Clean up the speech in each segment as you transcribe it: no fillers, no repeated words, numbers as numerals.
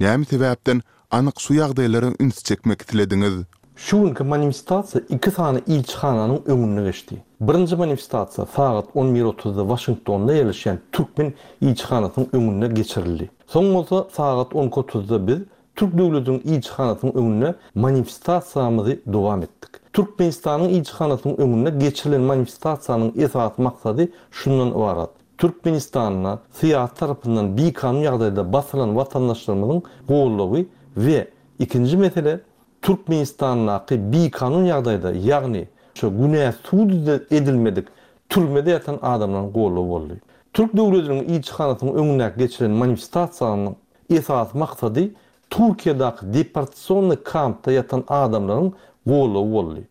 Näme sebäpden anyk şu ýagdaýlara üns çekmek islediňiz? Şu günki manifestasiýa iki sany ilçihananyň öňünde geçdi. Birinji manifestasiýa sagat on bir otuzda Waşingtonda ýerleşýän türkmen ilçihanasynyň öňünde geçirildi. Soň bolsa sagat on iki otuzda biz Türk döwletiniň ilçihanasynyň öňünde manifestasiýamyzy dowam etdik. Türkmenistanyň ilçihanasynyň öňünde geçirilen manifestasiýanyň esasy maksady şundan ybarat, Türkmenistanda syýasy tarapyndan bikanun ýagdaýda basylan watandaşlarymyzyň goldawy we ikinji mesele Türkmenistandaky bikanun ýagdaýda ýagny şo günä sud edilmedik türmede ýatan adamlaryň goldawy boldy. Türk döwletiniň ilçihanasynyň öňündäki geçirilen manifestasiýanyň Esasy maksady Türkiýedäki deportasionnyý kampda ýatan adamlaryň goldawy boldy.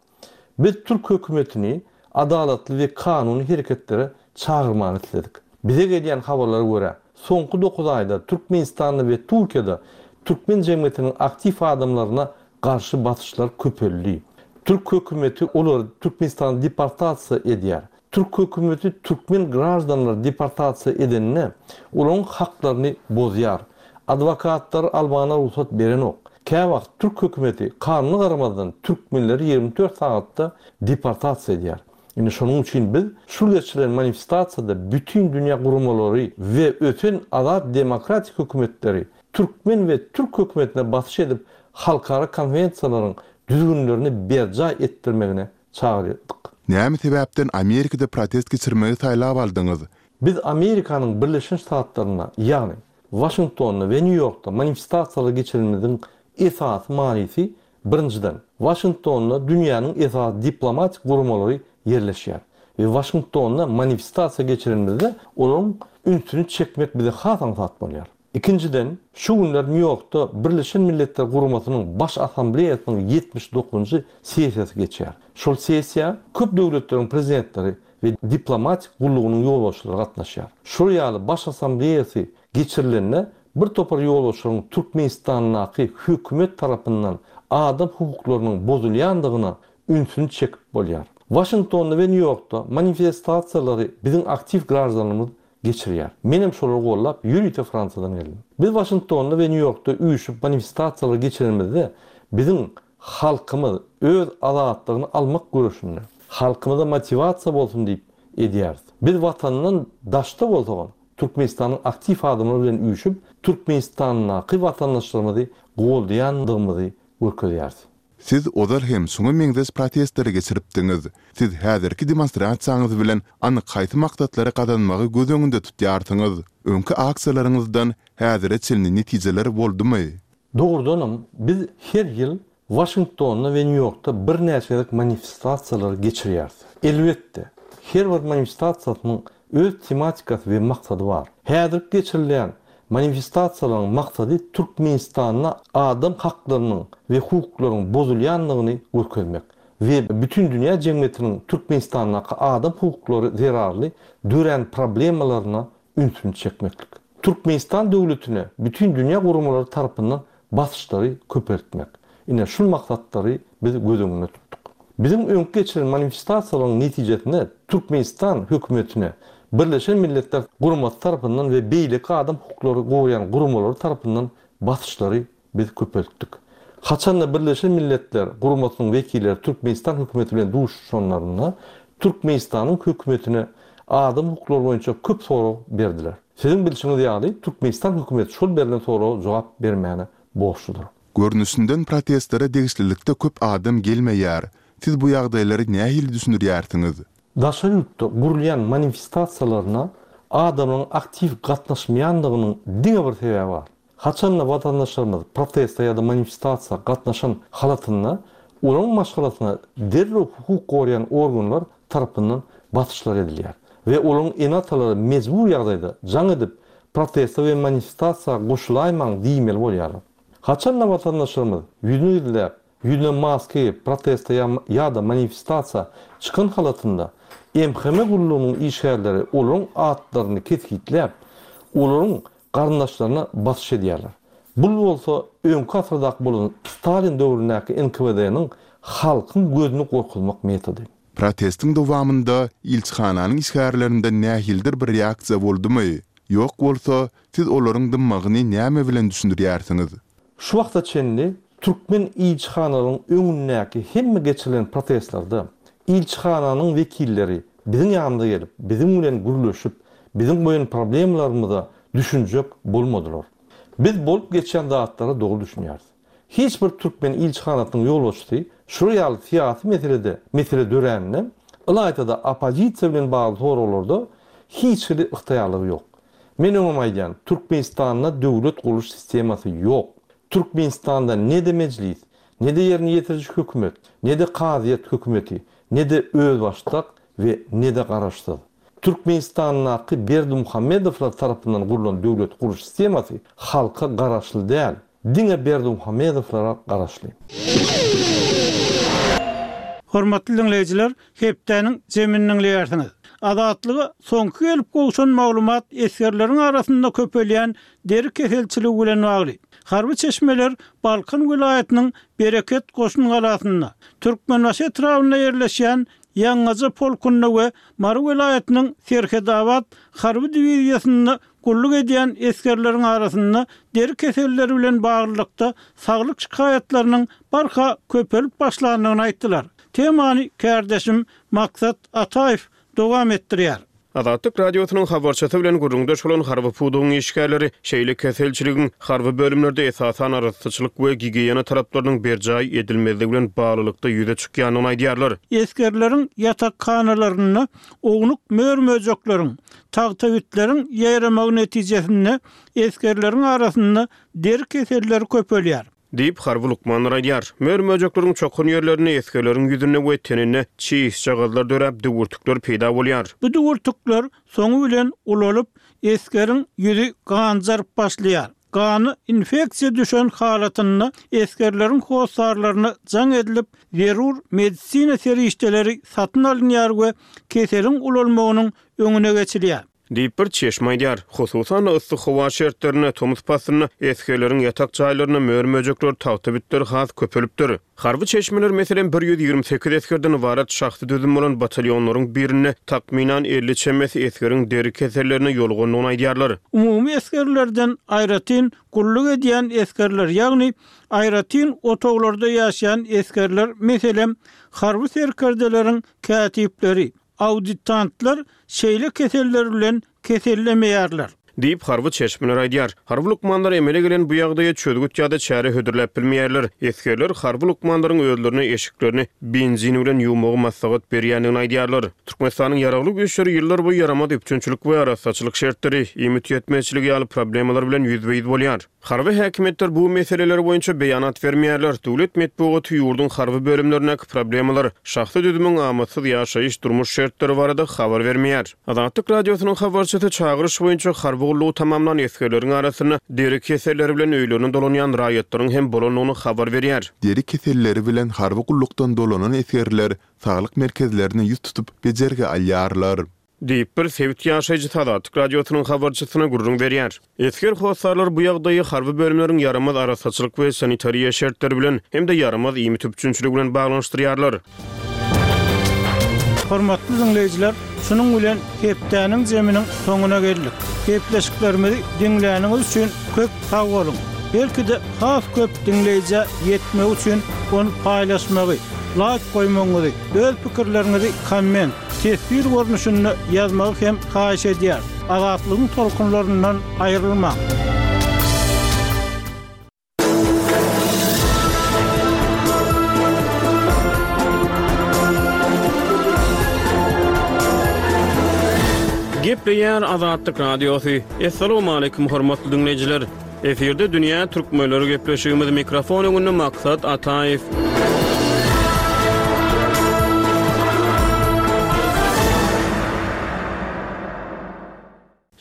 Biz türk hökümetini adalatly we kanuny hereketlere çagyrmany isledik. Bize gelýän habarlara görä, soňky dokuz aýda Türkmenistanda we Türkiýede türkmen jemgyýetiniň aktiw adamlaryna garşy basyşlar köpeldi. Türk hökümeti olary Türkmenistana deportasiýa edýär. Türk hökümeti türkmen graždanlary deportasiýa edende, olaryň haklaryny bozýar. Adwokatlary almagyna rugsat berenok. Käwagt türk hökümeti kanuna garamazdan türkmenleri 24 sagatda deportasiýa edýär. Indi şonuň üçin biz şul geçirilen manifestasiýada bütin dünýä guramalary we ösen azat demokratik hökümetleri türkmen we türk hökümetine basyş edip halkara konwensiýalaryň düzgünlerini berjaý etdirmegine çagyrdyk. Näme sebäpden Amerikada protest geçirmegi saýlap aldyňyz? Biz Amerikanyň Birleşen Ştatlarynda, ýagny Waşingtonda we Nýu-Ýorkda manifestasiýalar geçirenimiziň esasy manysy, birinjiden, Waşingtonda dünýäniň esasy diplomatik guramalary ýerleşýär we Waşingtonda manifestasiýa geçirenimizde olaryň ünsüni çekmek bize has aňsat bolýar. Ikinjiden, şu günler Nýu-Ýorkda Birleşen Milletler Guramasynyň Baş Assambleýasynyň 79-njy sessiýasy geçýär. Şol sessiýa köp döwletleriň prezidentleri we diplomatik gullugynyň ýolbaşçylary gatnaşýar. Şol ýaly Baş Assambleýasy geçirilende bir topar ýolbaşçylaryň Türkmenistandaky hökümet tarapyndan adam hukuklarynyň bozulýandygyna ünsüni çekip bolýar. Waşingtonda we Nýu-Ýorkda manifestasiýalary biziň aktiw graždanlarymyz geçirýär. Menem şolary gollap ýörite Fransiýadan geldim. Biz Waşingtonda we Nýu-Ýorkda üýşüp manifestasiýalar geçirenimizde biziň halkymyz öz azatlygyny almak göreşinde, halkymyza motiwasiýa bolsun diýip edýäris. Biz watandan daşda bolsagam Türkmenistanyň aktiw adamlary bilen üýşüp Türkmenistandaky watandaşlarymyzy goldaýandygymyzy görkezýäris. Siz ozal hem şuňa meňzeş protestleri geçiripdiňiz. Siz häzirki demonstrasiýaňyz bilen anyk haýsy maksatlary gazanmagy göz öňünde tutýarsyňyz? Öňki aksiýalaryňyzdan häzire çenli netijeler boldumy? Dogrudanam, biz her ýyl Waşingtonda we Nýu-Ýorkda birnäçe gezek manifestasiýalary geçirýäris. Elbetde, her bir manifestasiýasynyň öz tematikasy we maksady bar. Häzirki geçirilýän Manifestasiýalaryň maksady Türkmenistanda adam haklarynyň we hukuklaryň bozulýandygyny görkezmek we bütindünýä jemgyýetiniň Türkmenistandaky adam hukuklary zerarly dörän problemalaryna ünsüni çekmeklik. Türkmenistan döwletine bütindünýä guramalary tarapyndan basyşlary köpeltmek. Ine, şul maksatlary biz göz öňünde tutduk. Biziň öňki geçiren manifestasiýalaryň netijesinde Türkmenistan hökümetine Birleşen Milletler Guramasy tarapyndan we beýleki adam hukuklary goraýan guramalary tarapyndan basyşlary biz köpeltdik. Haçanda Birleşen Milletler Guramasynyň wekilleri Türkmenistan hökümeti bilen duşuşanlarynda Türkmenistanyň hökümetine adam hukuklary boýunça köp sorag berdiler. Siziň bilşiňiz ýaly, Türkmenistan hökümeti şol berlen soraga jogap bermäne borçludyr. Görnüşinden protestlere degişlilikde köp adam gelmeýär. Siz bu ýagdaýlary nähili düşündirýärsiňiz? Daşary ýurtda gurulýan manifestasiýalaryna adamlaryň aktiw gatnaşmaýandygynyň diňe bir sebäbi bar. Haçanda watandaşlarymyz proteste ýa-da manifestasiýa gatnaşan halatynda olaryň maşgalasyna derrew hukuk goraýan organlar tarapyndan basyşlar edilýär we olaryň ene-atalary mejbur ýagdaýda jaň edip proteste we manifestasiýa goşulaýmaň diýmeli bolýarlar. Haçanda watandaşlarymyz ýüzüni gizläp, ýüzüne maska geýip proteste ýa-da manifestasiýa çykan halatynda MHM gullugynyň işgärleri olaryň atlaryny kesgitläp, olaryň garyndaşlaryna basyş edýärler. Bul bolsa öňki asyrdaky bolan Stalin döwründäki NKWD-niň halkyň gözüni gorkuzmak metody. Protestiň dowamynda ilçihananyň işgärlerinden nähilidir bir reaksiýa boldumy? Ýok bolsa, siz olaryň dymmagyny näme bilen düşündirýärsiňiz? Şu wagta çenli türkmen ilçihanalaryň öňündäki hemme geçirilen protestlerde ilçihananyň wekilleri biziň ýanymyza gelip, biziň bilen gürleşip, biziň goýan problemalarymyza düşünjek bolmadylar. Biz bolup geçýän zatlara dogry düşünýäris. Hiç bir türkmen ilçihanasynyň ýolbaşçysy şular ýaly syýasy meselede mesele döräninde, ylaýta-da oppozisiýa bilen bagly soraglarda hiç hili ygtyýarlygy ýok. Men öňem aýdýan, Türkmenistanda döwlet gurluş sistemasy ýok. Türkmenistanda ne-de mejlis, ne-de ýerine ýetiriji hökümet, ne-de kazyýet hökümeti, ne-de özbaşdak we ne-de garaşsyz. Türkmenistandaky Berdimuhamedowlar tarapyndan gurlan döwlet gurluş sistemasy halka garaşly däl, diňe Berdimuhamedowlara garaşly. Hormatly diňleýjiler, hepdäniň jemini diňleýärsiňiz. Azatlyga soňky gelip gowşan maglumat esgerleriň arasynda köpelýän deri keselçiligi bilen bagly. Harby çeşmeler Balkan welaýatynyň Bereket goşun galasynda, Türkmenbaşy etrabynda ýerleşýän Ýaňgaja polkunda we Mary welaýatynyň Serhetabat harby diwiziýasynda gulluk edýän esgerleriň arasynda deri keselleri bilen baglylykda saglyk şikaýatlarynyň barha köpelip başlandygyny aýtdylar. Temany kärdeşim Maksat Ataýew dowam etdirýär. Azatlyk Radiosynyň habarçysy bilen gürrüňdeş bolan harby pudagyň işgärleri şeýle keselçiligiň harby bölümlerde esasan arassaçylyk we gigiýena talaplarynyň berjaý edilmezligi bilen baglylykda ýüze çykýandygyny aýdýarlar. Esgerleriň ýatakhanalarynda ownuk mör-möjekleriň, tagtabitleriň ýaýramagy netijesinde esgerleriň arasynda deri keselleri köpelýär. Diýip, harby lukmanlar aýdýar. Mör-möjekleriň çokan ýerlerinde esgerleriň ýüzünde we teninde çişjagazlar döräp, düwürtikler peýda bolýar. Bu düwürtikler soňy bilen ulalyp, esgeriň ýüzi ganjaryp başlaýar. Gana infeksiýa düşen halatynda esgerleriň hossarlaryna jaň edilip, zerur medisina serişdeleri satyn alynýar we keseliň ulalmagynyň öňüne geçilýär. Diýip, bir çeşme aýdýar. Hususan-da, yssy howa şertlerinde, tomus paslynda esgerleriň ýatak jaýlarynda mör-möjekler, tagta bitler has köpelipdir. Harby çeşmeler, meselem, 128 esgerden ybarat şahsy düzüm bolan batalýonlaryň birinde takmynan 50 çemesi esgeriň deri kesellerine ýolugandygyny aýdýarlar. Umumy esgerlerden aýratyn gulluk edýän esgerler, ýagny aýratyn otaglarda ýaşaýan esgerler, meselem, harby serkerdeleriň kätipleri, Auditantlar şeýle keseller bilen kesellemeýärler. Diýip, harby çeşmeler aýdýar. Harby lukmanlar emele gelen bu ýagdaýa çözgüt ýa-da çäre hödürläp bilmeýärler. Esgerler harby lukmanlaryň özlerine eşiklerini benzin bilen ýuwmagy maslahat berýändigini aýdýarlar. Türkmenistanyň Ýaragly Güýçleri ýyllarboýy ýaramaz üpjünçilik we arassaçylyk şertleri, iýmit ýetmezçiligi ýaly problemalar bilen ýüzbe-ýüz bolýar. Harby häkimiýetler bu meseleler boýunça beýanat bermeýärler. Döwlet metbugaty ýurduň harby bölümlerindäki problemalar, şahsy düzümiň amatsyz ýaşaýyş-durmuş şertleri barada habar bermeýär. Azatlyk Radiosynyň habarçysy çagyryş boýunça harby gullugy tamamlan esgerleriň arasynda deri keselleri bilen öýlerine dolanýan raýatlaryň hem bolandygyny habar berýär. Deri keselleri bilen harby gullukdan dolanan esgerler saglyk merkezlerine ýüz tutup bejergi alýarlar. Diýip, bir sebit ýaşaýjysy Azatlyk Radiosynyň habarçysyna gürrüň berýär. Esger hossarlar bu ýagdaýy harby bölümleriň ýaramaz arassaçylyk we sanitariýa şertleri bilen hem-de ýaramaz iýmit üpjünçiligi bilen baglanyşdyrýarlar. Hormatly diňleýjiler, şunuň bilen hepdäniň jeminiň soňuna geldik. Gepleşiklerimizi diňläniňiz üçin köp sag boluň! Belki-de has köp diňleýjä ýetmegi üçin ony paýlaşmagy, laýk goýmagyňyzy, öz pikirleriňizi komment. Teswir görnüşinde ýazmagy hem haýyş edýäris. Azatlygyň tolkunlaryndan aýrylmaň! Gepleýär Azatlyk Radiosy. Assalamualaikum hormatly diňleýjiler. Efirde dünýä türkmenleri gepleşigimiz mikrofon öňünde Maksat Ataýew.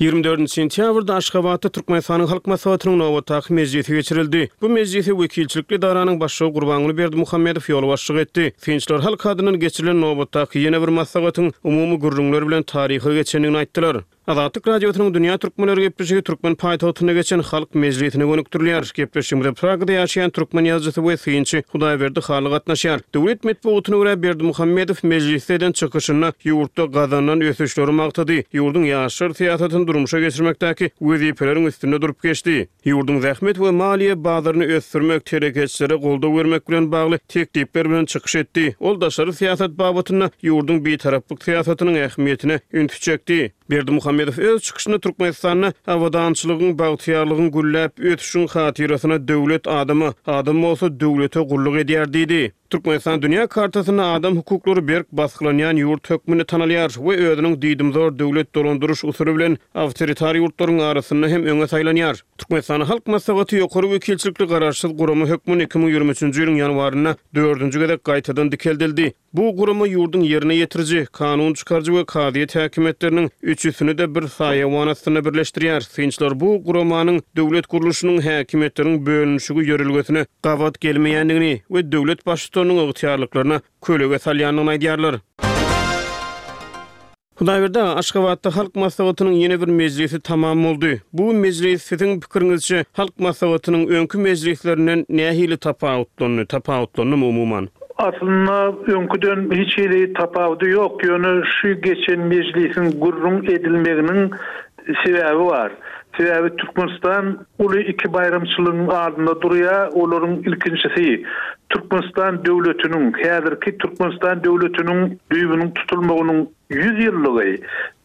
24 sentýabrda Aşgabatda Türkmenistanyň Halk Maslahatynyň nobatdaky mejlisi geçirildi. Bu mejlise wekilçilikli edaranyň başlygy Gurbanguly Berdimuhamedow ýolbaşçylyk etdi. Synçylar halk adyndan geçirilen nobatdaky ýene bir maslahatyň umumy gürrüňler bilen taryha geçendigini aýtdylar. Azatlyk Radiosynyň Dünýä Türkmenleri gepleşigi türkmen paýtagtynda geçen Halk mejlisine gönükdirilýär. Gepleşigimize Pragada ýaşaýan türkmen ýazyjysy we synçy Hudaýberdi Hally gatnaşýar. Döwlet metbugatyna görä, Berdimuhamedow mejlisde eden çykyşynda ýurtda gazanylan ösüşleri magtady, ýurduň ýaşlar syýasatyny durmuşa geçirmekdäki wezipeleriň üstünde durup geçdi. Ýurduň zähmet we maliýe bazaryny ösdürmek, telekeçilere goldaw bermek bilen bagly teklipler bilen çykyş etdi. Ol daşary syýasat babatynda ýurduň bitaraplyk syýasatynyň ähmiýetine ünsi çekdi. Berdimuhamedow öz çykyşynda Türkmenistanda abadançylygyň, bagtyýarlygyň, gülläp ösüşiň hatyrasyna döwlet adama, adam bolsa döwlete gulluk edýär diýdi. Türkmenistan dünýä kartasynda adam hukuklary berk basgylanýan ýurt hökmünde tanalýar we özüniň diýdimzor döwlet dolandyryş usuly bilen awtoritar ýurtlaryň arasynda hem öňe saýlanýar. Türkmenistanyň Halk Maslahaty ýokary wekilçilikli garaşsyz gurama hökmünde 2023-nji ýylyň ýanwarynda dördünji gezek gaýtadan dikeldildi. Bu gurama ýurduň ýerine ýetiriji, kanun çykaryjy we kazyýet häkimiýetleriniň üçüsini-de bir saýawan astynda birleşdirýär. Synçylar bu guramanyň döwlet gurluşynyň häkimiýetleriň bölünişigi ýörelgesine gabat gelmeýändigini we döwlet baştutanynyň ygtyýarlyklaryna kölege salýandygyny aýdýarlar. Hudaýberdi aga, Aşgabatda Halk Maslahatynyň ýene bir mejlisi tamam boldy. Bu mejlis, siziň pikiriňizçe, Halk Maslahatynyň öňki mejlislerinden nähili tapawutlandy, tapawutlandymy umuman? Aslynda öňküden hiç hili tapawudy ýok, ýöne şu geçen mejlisiň gürrüň edilmeginiň sebäbi bar. Sebäbi Türkmenistan uly iki baýramçylygyň alnynda durýar, olaryň ilkinjisi, Türkmenistan döwletiniň, häzirki Türkmenistan döwletiniň düýbüniň tutulmagynyň 100 ýyllygy,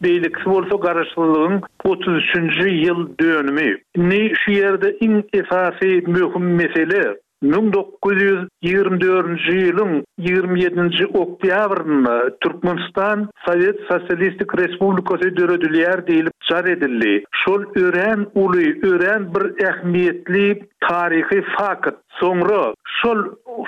beýlekisi bolsa Garaşsyzlygyň 33-nji ýyl dönümi. Indi şu ýerde iň esasy möhüm mesele, 1924-nji ýylyň 27-nji oktýabrynda Türkmenistan Sowet Sosialistik Respublikasy döredilýär diýlip jar edildi. Şol örän uly, örän bir ähmiýetli taryhy fakt. Soňra şol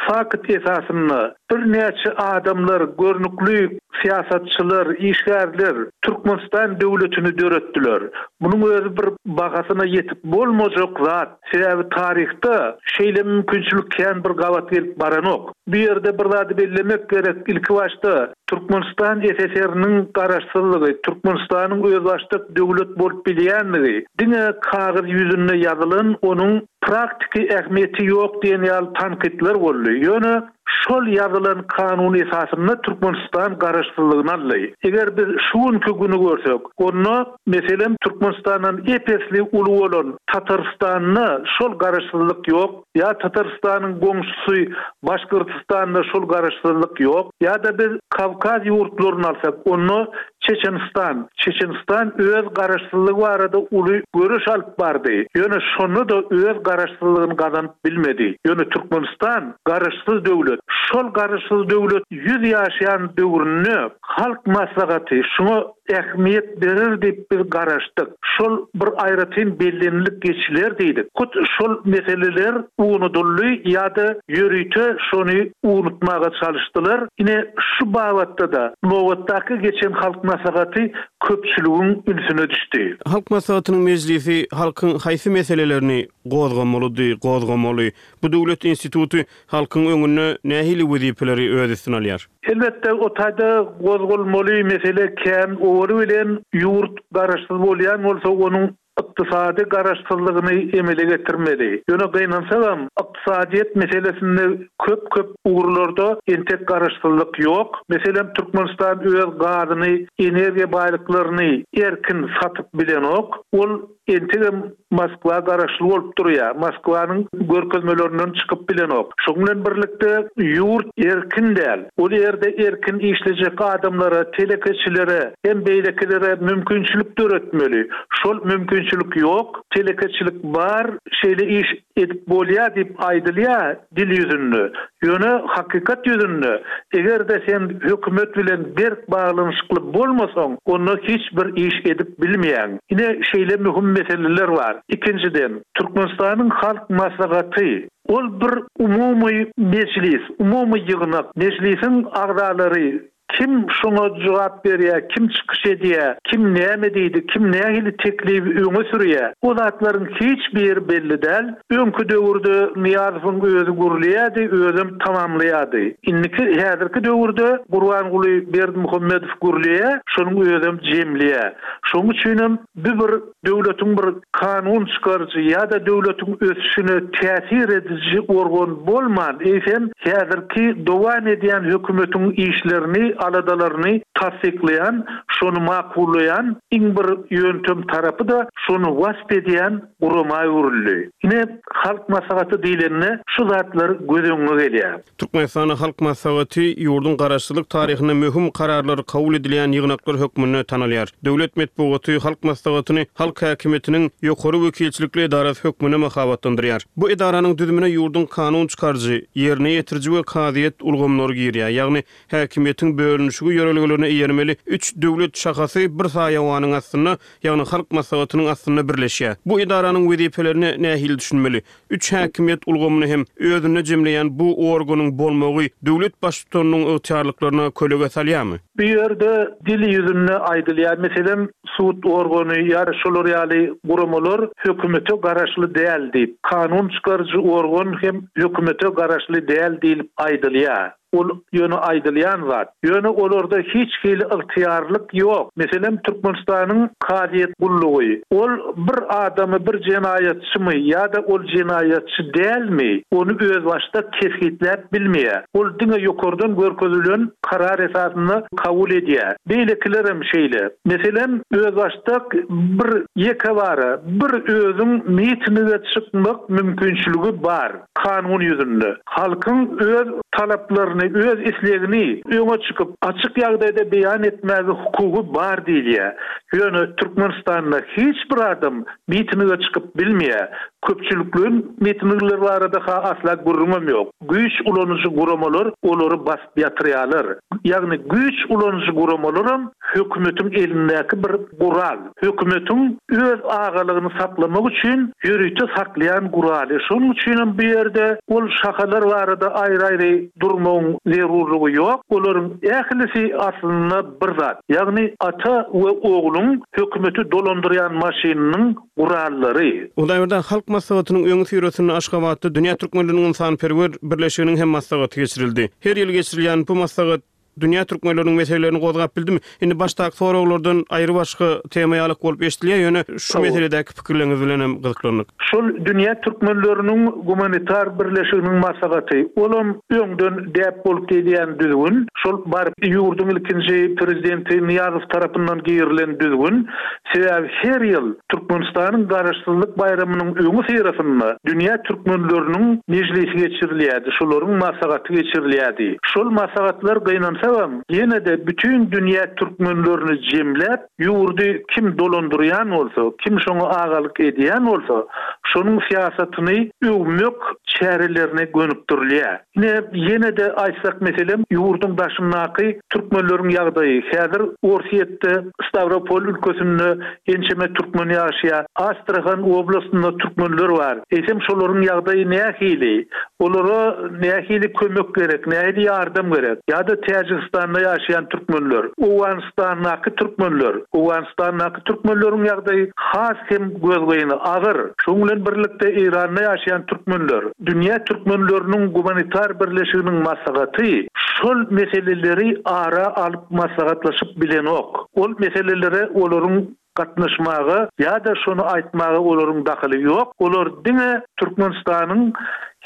fakt esasynda birnäçe adamlar, görnükli syýasatçylar, işgärler Türkmenistan döwletini döretdiler. Munuň özi bir bahasyna ýetip bolmajak zat. Sebäbi taryhda şeýle mümkinçilik kän bir gabat gelip baranok. Bu ýerde bir zady bellemek gerek, ilkibaşda Türkmenistan SSR-niň garaşsyzlygy, Türkmenistanyň özbaşdak döwlet bolup bilýänligi diňe kagyz ýüzünde ýazylan, onuň praktiki ähmiýeti ýok diýen ýaly tankytlar boldy. Ýöne şol ýazylan kanun esasynda Türkmenistan garaşsyzlygyny aldy. Eger biz şu günki güni görsek, onda, meselem, Türkmenistandan ep-esli uly bolan Tatarystanda şol garaşsyzlyk ýok, ýa Tatarystanyň goňşusy Başgyrtystanda şol garaşsyzlyk ýok, ýa-da biz Kawkaz ýurtlaryny alsak, onda Çeçenistan. Çeçenistan öz garaşsyzlygy barada uly göreş alyp bardy. Ýöne şonda-da öz garaşsyzlygyny gazanyp bilmedi. Ýöne Türkmenistan garaşsyz döwlet. Şol garaşsyz döwlet ýüz ýaşaýan döwründe Halk Maslahaty şuňa ähmiýet berer diýip biz garaşdyk. Şol bir aýratyn bellenilip geçiler diýdik. Hut şol meseleler unudyldy ýa-da ýörite şony unutmaga çalyşdylar. Ine, şu babatda-da nobatdaky geçen Halk Maslahaty köpçüligiň ünsüne düşdi. Halk Maslahatynyň mejlisi halkyň haýsy meselelerini gozgamalydy, gozgamaly? Bu döwlet instituty halkyň öňünde nähili wezipeleri öz üstüne alýar? Elbetde, o taýda gozgalmaly mesele kän. Owaly bilen ýurt garaşsyz bolýan bolsa, onuň ykdysady garaşsyzlygyny emele getirmeli. Ýöne gynansagam, ykdysadyýet meselesinde köp-köp ugurlarda entek garaşsyzlyk ýok. Meselem, Türkmenistan öz gazyny, energiýa baýlyklaryny erkin satyp bilenok. Ol entegem Moskwa garaşly bolup durýar. Moskwanyň görkezmelerinden çykyp bilenok. Şonuň bilen birlikde, ýurt erkin däl. Ol ýerde erkin işlejek adamlara, telekeçilere hem beýlekilere mümkinçilik döretmeli. Şol mümkinçilik ýok. Telekeçilik bar, şeýle iş edip bolýar diýip aýdylýar dil ýüzünde. Ýöne hakykat ýüzünde, eger-de sen hökümet bilen berk baglanyşykly bolmasaň, onda hiç bir iş edip bilmeýäň. Ine, şeýle möhüm meseleler bar. Ikinjiden, Türkmenistanyň Halk Maslahaty, ol bir umumy mejlis, umumy ýygnak. Mejlisiň agzalary. Kim şoňa jogap berýär, kim çykyş edýär, kim näme diýdi, kim nähili teklibi öňe sürýär, o zatlaryň hiç biri belli däl. Öňki döwürde Nyýazowyň özi gürleýärdi, özem tamamlaýardy. Indiki, häzirki döwürde Gurbanguly Berdimuhamedow gürleýär, şonuň özem jemleýär. Şonuň üçinem bu bir döwletiň bir kanun çykaryjy ýa-da döwletiň ösüşine täsir ediji organ bolman, eýsem, häzirki dowam edýän hökümetiň işlerini, aladalaryny tassyklaýan, şony makullaýan, iň bir ýöntem tarapy-da şony wasp edýän gurama öwrüldi. Ine, Halk Maslahaty diýlende şu zatlar göz öňüňe gelýär. Türkmenistanda Halk Maslahaty ýurduň garaşsyzlyk taryhynda möhüm kararlar kabul edilýän ýygnaklar hökmünde tanalýar. Döwlet metbugaty Halk Maslahatyny halk häkimiýetiniň ýokary wekilçilikli edarasy hökmünde mahabatlandyrýar. Bu edaranyň düzümine ýurduň kanun çykaryjy, ýerine ýetiriji we kazyýet ulgamlary girýär, ýagny häkimiýetiň bölünişigi ýörelgelerine eýermeli üç döwlet şahasy bir saýawanyň astynda, ýagny Halk Maslahatynyň astynda birleşýär. Bu edaranyň wezipelerine nähili düşünmeli? Üç häkimiýet ulgamyny hem özünde jemleýän bu organyň bolmagy döwlet baştutanynyň ygtyýarlyklaryna kölege salýarmy? Bu ýerde dil ýüzünde aýdylýar, meselem, sud organy ýa şolar ýaly guramalar hökümete garaşly däl diýip, kanun çykaryjy organ hem hökümete garaşly däl diýlip aýdylýar. Ol ýöne aýdylýan zat. Ýöne olarda hiç hili ygtyýarlyk ýok. Meselem, Türkmenistanyň kazyýet gullugy. Ol bir adamy bir jenaýatçymy ýa-da ol jenaýatçy dälmi, ony özbaşdak kesgitläp bilmeýär. Ol diňe ýokardan görkezilen karar esasynda kabul edýär. Beýlekilerem şeýle. Meselem, özbaşdak bir ýekebara bir özüň mitinige çykmak mümkinçiligi bar. Kanun ýüzünde, halkyň öz talaplaryny, öz islegini öňe çykyp, açyk ýagdaýda beýan etmäge hukugy bar diýilýär. Ýöne Türkmenistanda hiç bir adam mitinge çykyp bilmeýär. Köpçülikleýin mitingler barada-ha asla gürrüňem ýok. Güýç ulanyjy guramalar olary basyp ýatyrýarlar. Ýagny güýç ulanyjy guramalaram hökümetiň elindäki bir gural. Hökümetiň öz agalygyny saklamak üçin ýörite saklaýan guraly. Şonuň üçinem bu ýerde ol şahalar barada aýry-aýry durmagyň zerurlygy ýok. Olaryň ählisi aslynda bir zat. Ýagny ata we ogluň hökümeti dolandyrýan maşynynyň gurallary. Hudaýberdi Halk Maslahatynyň öňüsyrasynda Aşgabatda Dünýä türkmenleriniň ynsanperwer birleşiginiň hem maslahaty geçirildi. Her ýyl geçirilýän bu maslahat Dünýä türkmenleriniň meselelerini gozgap bildimi? Indi başdaky soraglardan aýry-başga tema ýalak bolup eşidilýär, ýöne şu meseledäki pikirleriňiz bilen hem gyzyklandyk. Şol Dünýä türkmenleriniň gumanitar birleşiginiň maslahaty, olam öňden däp bolup gelýän düzgün, şol baryp ýurduň ilkinji prezidenti Nyýazow tarapyndan girilen düzgün, Sebäbi her ýyl Türkmenistanyň Garaşsyzlyk baýramynyň öňüsyrasynda dünýä türkmenleriniň mejlisi geçirilýärdi, şolaryň maslahaty geçirilýärdi. Şol maslahatlar gynansagam, ýene-de bütin dünýä türkmenlerini jemläp, ýurdy kim dolandyrýan bolsa, kim şoňa agalyk edýän bolsa, şonuň syýasatyny öwmek çärelerine gönükdirilýär. Ine, ýene-de aýtsak, meselem, ýurduň daşyndaky türkmenleriň ýagdaýy. Häzir Orsýetde, Stawropol ülkesinde ençeme türkmen ýaşaýar. Astrahan oblastynda türkmenler bar. Eýsem, şolaryň ýagdaýy nähili? Olara nähili kömek gerek, nähili ýardam gerek? Ýa-da Täjigistanda ýaşaýan türkmenler, Owganystandaky türkmenler. Owganystandaky türkmenleriň ýagdaýy has hem gözgyny, agyr. Şonuň bilen birlikde Eýranda ýaşaýan türkmenler. Dünýä türkmenleriniň gumanitar birleşiginiň maslahaty şol meseleleri ara alyp maslahatlaşyp bilenok. Ol meselelere olaryň gatnaşmaga ýa-da şony aýtmaga olaryň dahyly ýok. Olar diňe Türkmenistanyň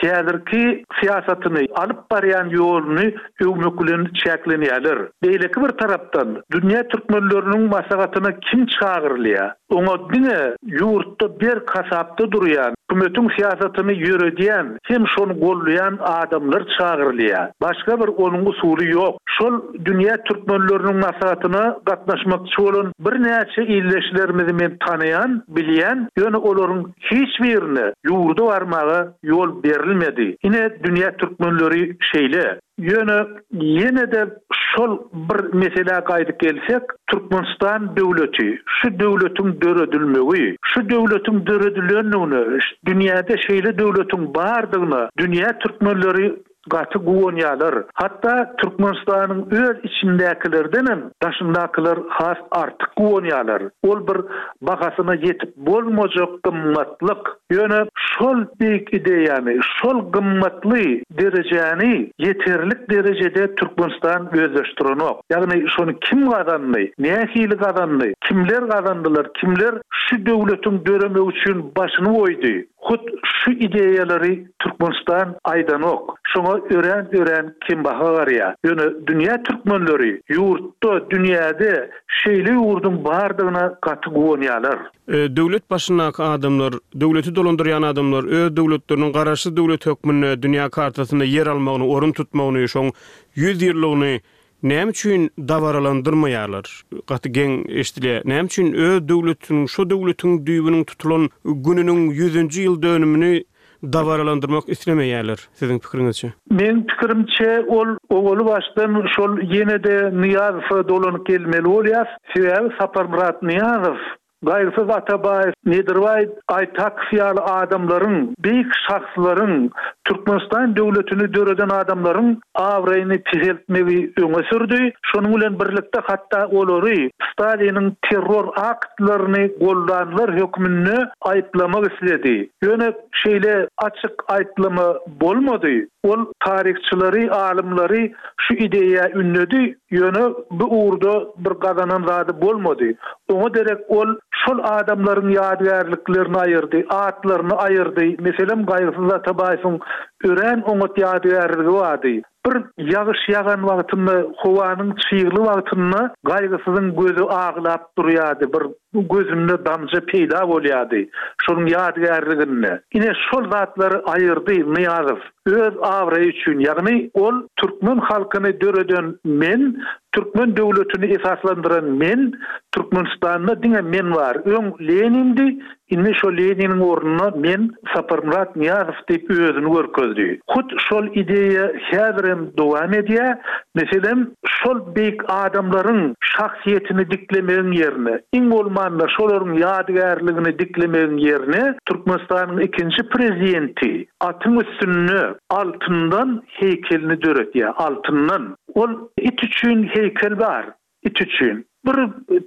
häzirki syýasatyny, alyp barýan ýoluny öwmek bilen çäklenýärler. Beýleki bir tarapdan, dünýä türkmenleriniň maslahatyna kim çagyrylýar? Oňa diňe ýurtda berk hasapda durýan, hökümetiň syýasatyny ýöredýän hem şony goldaýan adamlar çagyrylýar. Başga bir onuň usuly ýok. Şol dünýä türkmenleriniň maslahatyna gatnaşmakçy bolan birnäçe ildeşlerimizi men tanaýan, bilýän, ýöne olaryň hiç birine ýurda barmaga ýol berilmedi. Ine dünýä türkmenleri şeýle. Ýöne ýene-de şol bir meselä gaýdyp gelsek, Türkmenistan döwleti, şu döwletiň döredilmegi, şu döwletiň döredilendigine, dünýäde şeýle döwletiň bardygyna dünýä türkmenleri. Gaty guwanýarlar. Hatda Türkmenistanyň öz içindäkilerdenem daşyndakylar has artyk guwanýarlar. Ol bir bahasyna ýetip bolmajak gymmatlyk. Ýöne şol beýik ideýany, şol gymmatly derejäni ýeterlik derejede Türkmenistan özleşdirenok. Ýagny şony kim gazandy, nähili gazandy, kimler gazandylar, kimler şu döwletiň döremegi üçin başyny goýdy? Hut şu ideýalary Türkmenistan aýdanok. Şoňa örän-örän kembaha garýar. Ýöne dünýä türkmenleri ýurtda, dünýäde şeýle ýurduň bardygyna gaty guwanýarlar. Döwlet başyndaky adamlar, döwleti dolandyrýan adamlar öz döwletleriniň garaşsyz döwlet hökmünde dünýä kartasynda ýer almagyny, orun tutmagyny, şoň ýüz ýyllygyny Näme üçin dabaralandyrmaýarlar? Gaty geň eşidilýär. Näme üçin öz döwletiniň, şo döwletiň düýbüniň tutulan gününiň ýüzünji ýyl dönümini dabaralandyrmak islemeýärler, siziň pikiriňizçe? Meň pikirimçe, ol owaly başdan şol ýene-de Nyýazowa dolanyp gelmeli bolýar. Sebäbi Saparmyrat Nyýazow Gaýgysyz Atabaýew, Nedirbaý Aýtakow ýaly adamlaryň, beýik şahslaryň, Türkmenistan döwletini döreden adamlaryň abraýyny peseltmegi öňe sürdi. Şonuň bilen birlikde hatda olary Staliniň terror aktlaryny goldanlar hökmünde aýyplamak isledi. Ýöne şeýle açyk aýyplama bolmady. Ol taryhçylary, alymlary şu ideýa ündedi, ýöne bu ugurda bir gazanan zady bolmady. Oňa derek ol şol adamlaryň ýadygärliklerini aýyrdy, atlaryny aýyrdy. Meselem, Gaýgysyz Atabaýewiň örän oňat ýadygärligi bardy. Bir ýagyş ýagan wagtynda, howanyň çygly wagtynda Gaýgysyzyň gözi aglap durýardy, bir gözünde damja peýda bolýardy şonuň ýadygärliginde. Ine, şol zatlary aýyrdy Nyýazow. Öz abraýy üçin, ýagny ol türkmen halkyny döreden men, türkmen döwletini esaslandyran men, Türkmenistanda diňe men bar, öň Lenindi, indi şo Leniniň ornuna men Saparmyrat Nyýazow diýip özüni görkezdi. Hut şol ideýa häzirem dowam edýär. Meselem, şol beýik adamlaryň şahsyýetini diklemegiň ýerine, iň bolmanda şolaryň ýadygärligini diklemegiň ýerine Türkmenistanyň ikinji prezidenti atyň üstünde altyndan heýkelini döretýär, altyndan. Ol it üçin heýkel bar, it üçin. Bir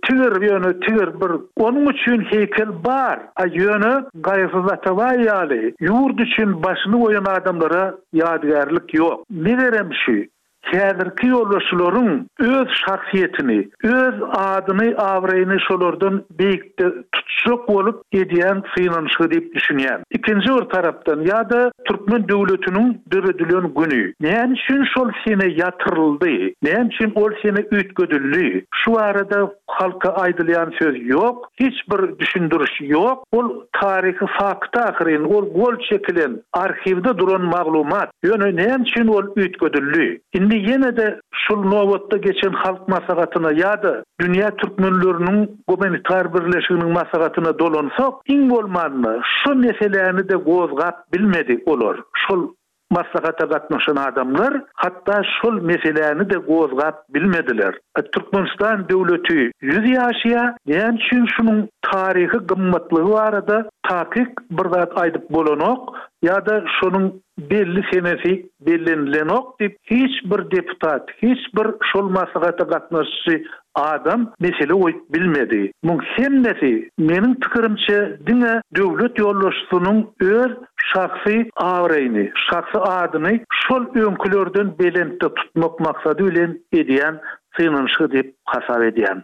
tigir, ýöne tigir bir, onuň üçin heýkel bar. A ýöne Gaýgysyz Atabaý ýaly ýurt üçin başyny goýan adamlara ýadygärlik ýok. Megerem şu, häzirki ýolbaşçylaryň öz şahsyýetini, öz adyny, abraýyny şolardan beýikde tutjak bolup edýän synanyşygy diýip düşünýän. Ikinji bir tarapdan ýa-da türkmen döwletiniň döredilen güni näme üçin şol sene ýatyryldy, näme üçin ol sene üýtgedildi, şu barada halka aýdylýan söz ýok, hiç bir düşündiriş ýok. Ol taryhy fakt ahyryn, ol gol çekilen, arhiwde duran maglumat. Ýöne näme üçin ol üýtgedildi? Indi ýene-de şul nobatda geçen Halk Maslahatyna ýa-da Dünýä türkmenleriniň gumanitar birleşiginiň maslahatyna dolansak, iň bolmanda şu meseläni-de gozgap bilmedi olar. Şol maslahata gatnaşan adamlar hatda şol meseläni-de gozgap bilmediler. Türkmenistan döwleti ýüz ýaşaýar, näme üçin şunuň taryhy gymmatlygy barada takyk bir zat aýdyp bolanok ýa-da şonuň belli senesi bellenilenok diýip, hiç bir deputat, hiç bir şol maslahata gatnaşyjy adam mesele goýup bilmedi. Muň hemmesi, meniň pikirimçe, diňe döwlet ýolbaşçysynyň öz şahsy abraýyny, şahsy adyny şol öňkülerden belentde tutmak maksady bilen edýän synanyşygy diýip hasap edýän.